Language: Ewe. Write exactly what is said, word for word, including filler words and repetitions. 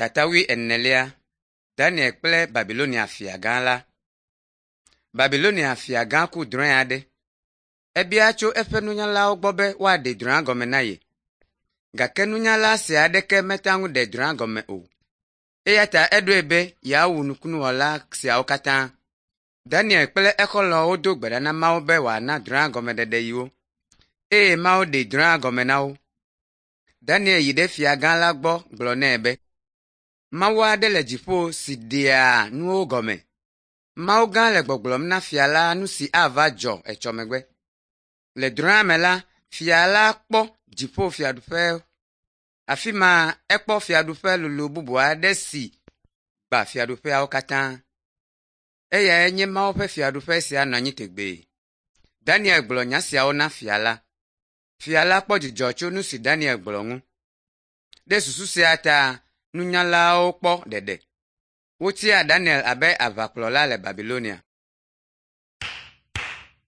Tata wuienelia Daniel kple Babilonia fiagã la. Babilonia fiagã ku drɔ̃e aɖe. Ebia tso eƒe nunyalawo gbɔ be woaɖe drɔ̃ea gɔme na ye. Gake nunyala sia aɖeke mete ŋu ɖe drɔ̃ea gɔme o. Eya ta eɖoe be yeawu nukunuwɔla siawo katã. Daniel kple exɔlɔ̃wo do gbe ɖa na Mawu be wòana drɔ̃ea gɔmeɖeɖe yewo eye Mawu ɖe drɔ̃ea gɔme na wo. Daniel yi ɖe fiagã la gbɔ gblɔ nɛ be, Mawu aɖe le dziƒo si ɖea nuwo gɔme. Mawu gã le gbɔgblɔm na fia la nu si ava dzɔ etsɔ megbe. Le drɔ̃ea me la, fia la kpɔ dziƒofiaɖuƒe. Afi ma ekpɔ fiaɖuƒe lolo bubu aɖe si gbã fiaɖuƒeawo katã. Eyae nye Mawu ƒe fiaɖuƒe si anɔ anyi tegbee. Daniel gblɔ nya siawo na fia la. Fia la kpɔ dzidzɔ tso nu si Daniel gblɔ ŋu. Ɖe susu sia ta nunyalawo kpɔ ɖeɖe. Wotia Daniel abe aʋakplɔla le Babilonia.